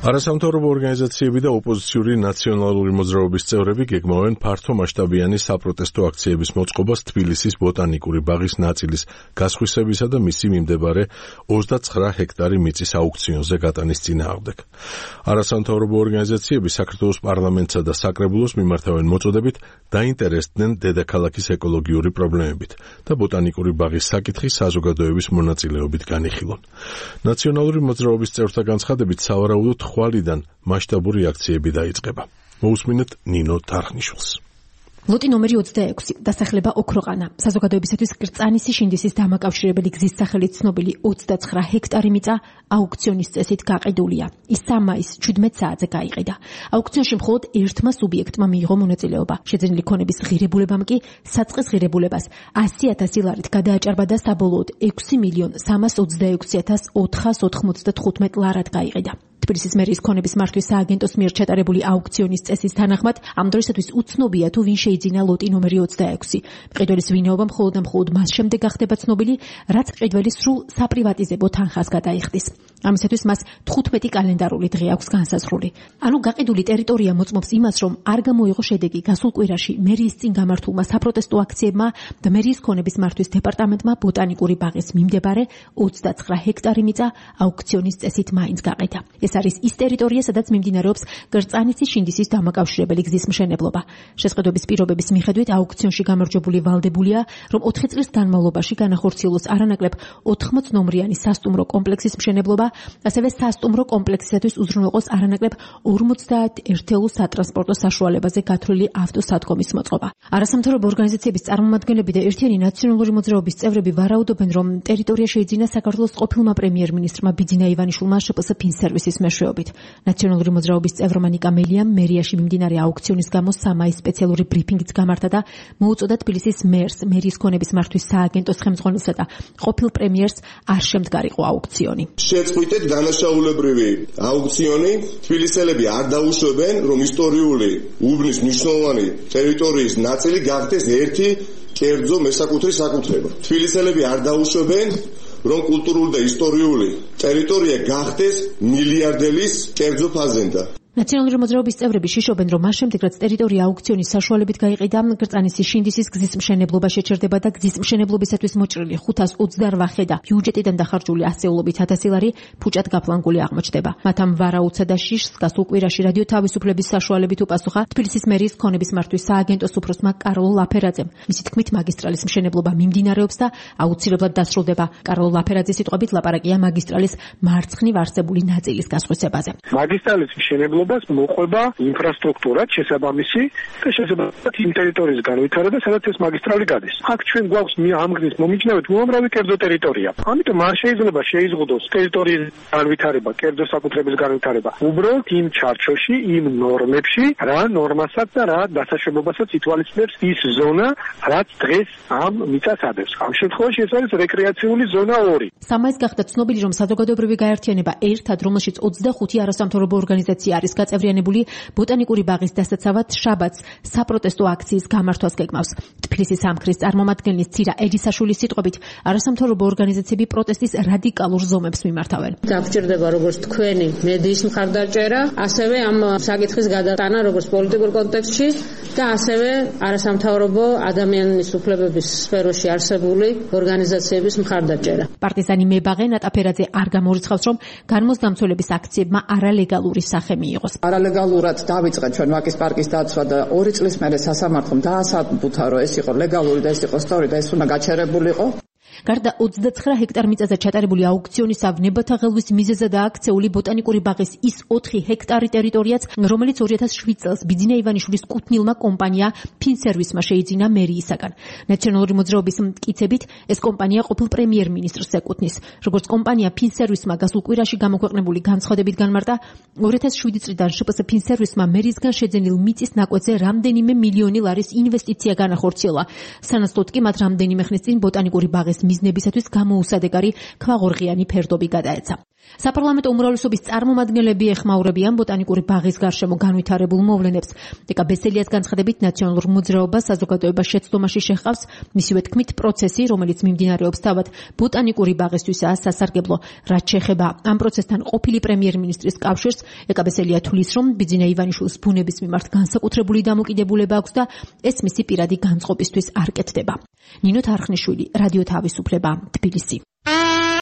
არასამთავრობო ორგანიზაციები და ოპოზიციური ნაციონალური მოძრაობის წევრები გეგმავენ ფართო მასშტაბიანი საპროტესტო აქციების მოწყობას თბილისის ბოტანიკური ბაღის ნაწილის გასხვისებისა და მისი მიმდებარე 29 ჰექტარი მიწის აუქციონზე გატანის წინააღმდეგ. არასამთავრობო ორგანიზაციები საქართველოს პარლამენტსა და საკრებულოს მიმართავენ მოწოდებით დაინტერესდნენ დედაქალაქის ეკოლოგიური პრობლემებით და ბოტანიკური ბაღის საკითხი საზოგადოების მონაწილეობით განიხილონ. ნაციონალური მოძრაობის წევრთა განცხადებით სავარაუდოდ ხვალიდან მასშტაბური აქციები დაიწყება. მოусმინეთ ნინო თარხნიშვილს. ლოტი ნომერი 26 დასახლება ოქროყანა. საზოგადოებისათვის კრწანისი შინდისის დამაკავშირებელი გზის სახელით ცნობილი 29 ჰექტარი მიწა აუქციონის წესით გაყიდულია. ის 3 მაისს 17 საათზე გაიყიდა. აუქციონში მხოლოდ ერთმა სუბიექტმა მიიღო მონაწილეობა. შეძენილი ქონების ღირებულებამ კი საწყის ღირებულებას 100,000 ლარით გადააჭარბა და საბოლოოდ 6,364,495 ლარად გაიყიდა. თბილისის მერიის ქონების მართვის სააგენტოს მიერ ჩატარებული აუქციონის წესის თანახმად ამ დროისათვის უცნობია თუ ვინ შეიძინა ლოტი ნომერი 26. მყიდველის ვინაობა მხოლოდ და მხოლოდ მას შემდეგ გახდება ცნობილი, რაც მყიდველი სრულ საპრივატიზებო თანხას გადაიხდის. ამისათვის მას 15 კალენდარული დღე აქვს განსაზღვრული. ანუ გაყიდული ტერიტორია მოწმობს იმას, რომ არ გამოიღო შედეგი გასულ კვირაში მერიის წინ გამართულმა საპროტესტო აქციებმა და მერიის ქონების მართვის დეპარტამენტმა ბოტანიკური ბაღის მიმდებარე 29 ჰექტარი მიწა აუქციონის წესით მაინც გაყიდა. ეს არის ის ტერიტორია, სადაც მიმდინარეობს კრწანიცის შინდისის დამაკავშირებელი გზის მშენებლობა. შესყიდვების პირობების მიხედვით აუქციონში გამარჯვებული ვალდებულია, რომ 4 წლის განმავლობაში განახორციელოს არანაკლებ 80 ნომრიანი სასტუმრო კომპლექსის მშენებლობა, ასევე სასტუმრო კომპლექსისათვის უზრუნველყოს არანაკლებ 50 ერთეულ სატრანსპორტო საშუალებაზე გათვლილი ავტოსადგომის მოწყობა. არასამთავრობო ორგანიზაციების წარმომადგენლები და ერთიანი ნაციონალური მოძრაობის წევრები ვარაუდობენ, რომ ტერიტორია შეიძინა საქართველოს ყოფილმა პრემიერ-მინისტრმა ბიძინა ივანიშვილმა შპს ფინსერვისის მეშვეობით. ნაციონალური მოძრაობის წევრმა ნიკა მელიამ მერიაში მიმდინარე აუქციონის გამო 3 მაისს სპეციალური ბრიფინგიც გამართა და მოუწოდა თბილისის მერს, მერიის ქონების მართვის სააგენტოს ხელმძღვანელსა და ყოფილ პრემიერს არ შემდგარიყო აუქციონი. შეწყვიტეთ დანაშაულებრივი აუქციონი. თბილისელები არ დაუშვებენ, რომ ისტორიული უბნის მნიშვნელოვანი ტერიტორიის ნაწილი გახდეს ერთი კერძო მესაკუთრი საკუთრება. თბილისელები არ დაუშვებენ, რომ კულტურული და ისტორიული ტერიტორია გახდეს მილიარდელის კერძო ფაზენდა. ნაციონალური მოძრაობის წევრები შიშობენ, რომ მას შემდეგ, რაც ტერიტორია აუქციონის საშუალებით გაიყიდა, კრწანისის შინდისის გზის მშენებლობა შეჩერდება და გზის მშენებლობისათვის მოჭრილი 528 ხე და ბიუჯეტიდან დახარჯული ასეულობით 1000 ლარი ფუჭად გაფლანგული აღმოჩნდება. მათ ამ ვარაუდსა და შიშს გასულ კვირაში რადიო თავისუფლების საშუალებით უპასუხა თბილისის მერიის ქონების მართვის სააგენტოს უფროსმა კარლო ლაფერაძემ. მისი თქმით, მაგისტრალის მშენებლობა მიმდინარეობს და აუცილებლად დასრულდება. კარლო ლაფერაძის სიტყვებით ლაპარაკია მაგისტრალის მარცხნივ არსებული ნაწილის გასხვისებაზე. მაგისტრალის მშენებლობა მოყვება ინფრასტრუქტურა შესაბამისი და შესაბამისად იმ ტერიტორიის განვითარება, სადაც ეს მაგისტრალი გადის. აქ ჩვენ გვაქვს ამ გზის მომიჯნავედ უამრავი კერძო ტერიტორია. ამიტომ არ შეიძლება შეიზღუდოს ტერიტორიის განვითარება, კერძო საკუთრების განვითარება. უბრალოდ იმ ჩარჩოში, იმ ნორმებში, რა ნორმასაც და რა დასაშვებობასაც ითვალისწინებს ის ზონა, რაც დღეს ამ მიწას ადევს. ამ შემთხვევაში ეს არის რეკრეაციული ზონა 2. 3 მაისს გახდა ცნობილი, რომ საზოგადოებრივი გაერთიანება ერთად, რომელშიც 25 არასამთავრობო ორგანიზაცია არის გაწევრიანებული, ბოტანიკური ბაღის დასაცავად შაბათს საპროტესტო აქციის გამართვას გეგმავს. თბილისის სამხრის წარმომადგენლის ცირა ედისაშვილის სიტყვებით, არასამთავრობო ორგანიზაციები პროტესტის რადიკალურ ზომებს მიმართავენ. დაგჭირდება როგორც თქვენი მედიის მხარდაჭერა, ასევე ამ საკითხის გადატანა როგორც პოლიტიკურ კონტექსტში და ასევე არასამთავრობო ადამიანის უფლებების სფეროში არსებული ორგანიზაციების მხარდაჭერა. პარტიზანი მებაღე ნატა ფერაძე არ გამორიცხავს, რომ განმოსდამცველების აქციებმა არალეგალური სახე მიიღოს. არალეგალურად დავიწყეთ ჩვენ ვაკის პარკის დაცვა და 2 წლის მერე სასამართლომ დაასაბუთა, რომ ეს იყო ლეგალური და ეს იყო სწორი და ეს უნდა გაჩერებულიყო. გარდა 29 ჰექტარ მიწაზე ჩატარებული აუქციონისა, ნებათა ღელვის მიზეზად აქცეული ბოტანიკური ბაღის ის 4 ჰექტარი ტერიტორიაც, რომელიც 2007 წელს ბიძინა ივანიშვილის კუთვნილმა კომპანია ფინსერვისმა შეიძინა მერიისაგან. ნაციონალური მოძრაობის მტკიცებით, ეს კომპანია ყოფილ პრემიერ-მინისტრს ეკუთვნის. როგორც კომპანია ფინსერვისმა გასულ კვირაში გამოქვეყნებული განცხადებით განმარტა, 2007 წლიდან შპს ფინსერვისმა მერიისგან შეძენილ მიწის ნაკვეთზე რამდენიმე მილიონი ლარის ინვესტიცია განახორციელა. სანაცვლოდ კი მათ რამდენიმე ხნის წინ ბოტანიკური ბაღის მიზნებისათვის გამოუსადეგარი ქვაღორღიანი ფერდობი გადაეცა. საპარლამენტო უმრავლესობის წარმომადგენლები ეხმაურებიან ბოტანიკური ბაღის გარშემო განვითარებულ მოვლენებს. დეკა ბესელიას განცხადებით ნაციონალურ მოძრაობას საზოგადოება შეცდომაში შეჰყავს, მისივე თქმით პროცესი, რომელიც მიმდინარეობს თავად ბოტანიკური ბაღისთვისაა სასარგებლო. რაც შეეხება ამ პროცესთან ყოფილი პრემიერ-მინისტრის კავშირს, დეკა ბესელია თვლის, რომ ბიძინა ივანიშვილის ბუნების მიმართ განსაკუთრებული დამოკიდებულება აქვს და ეს მისი პირადი განწყობისთვის არ კეთდება. ნინო თარხნიშვილი, რადიო თავისუფლება, თბილისი.